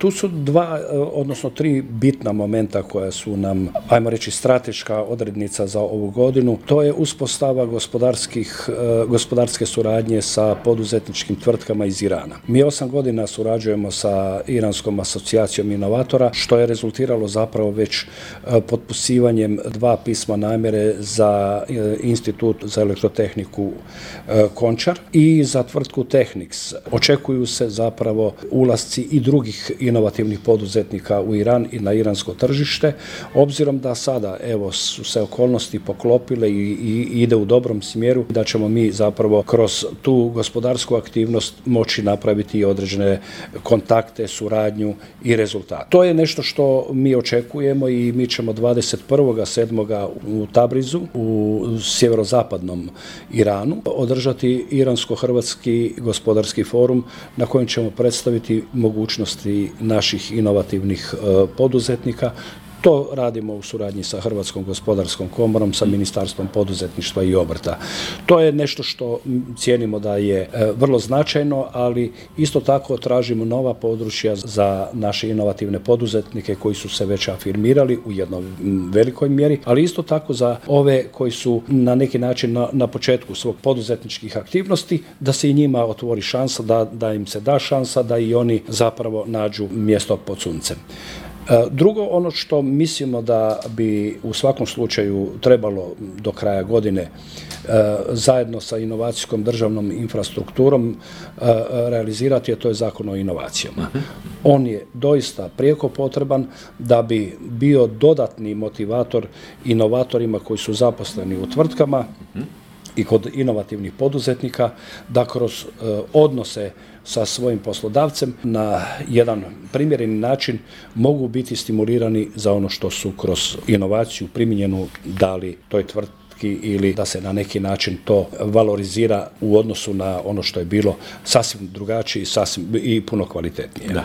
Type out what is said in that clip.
Tu su odnosno tri bitna momenta koja su nam, ajmo reći, strateška odrednica za ovu godinu. To je uspostava gospodarske suradnje sa poduzetničkim tvrtkama iz Irana. Mi 8 godina surađujemo sa Iranskom asocijacijom inovatora, što je rezultiralo zapravo već potpisivanjem 2 pisma namjere za Institut za elektrotehniku Končar i za tvrtku Technics. Očekuju se zapravo ulasci i drugih inovativnih poduzetnika u Iran i na iransko tržište, obzirom da sada su se okolnosti poklopile i ide u dobrom smjeru, da ćemo mi zapravo kroz tu gospodarsku aktivnost moći napraviti i određene kontakte, suradnju i rezultate. To je nešto što mi očekujemo i mi ćemo 21.7. u Tabrizu, u sjeverozapadnom Iranu, održati Iransko-hrvatski gospodarski forum na kojem ćemo predstaviti mogućnosti naših inovativnih poduzetnika. To radimo u suradnji sa Hrvatskom gospodarskom komorom, sa Ministarstvom poduzetništva i obrta. To je nešto što cijenimo da je vrlo značajno, ali isto tako tražimo nova područja za naše inovativne poduzetnike koji su se već afirmirali u jednoj velikoj mjeri, ali isto tako za ove koji su na neki način na početku svog poduzetničkih aktivnosti, da se i njima otvori šansa, da im se da šansa, da i oni zapravo nađu mjesto pod suncem. Drugo, ono što mislimo da bi u svakom slučaju trebalo do kraja godine zajedno sa inovacijskom državnom infrastrukturom realizirati, a to je Zakon o inovacijama. On je doista prijeko potreban da bi bio dodatni motivator inovatorima koji su zaposleni u tvrtkama i kod inovativnih poduzetnika, da kroz odnose sa svojim poslodavcem na jedan primjereni način mogu biti stimulirani za ono što su kroz inovaciju primijenjenu dali toj tvrtki ili da se na neki način to valorizira u odnosu na ono što je bilo sasvim drugačije i puno kvalitetnije.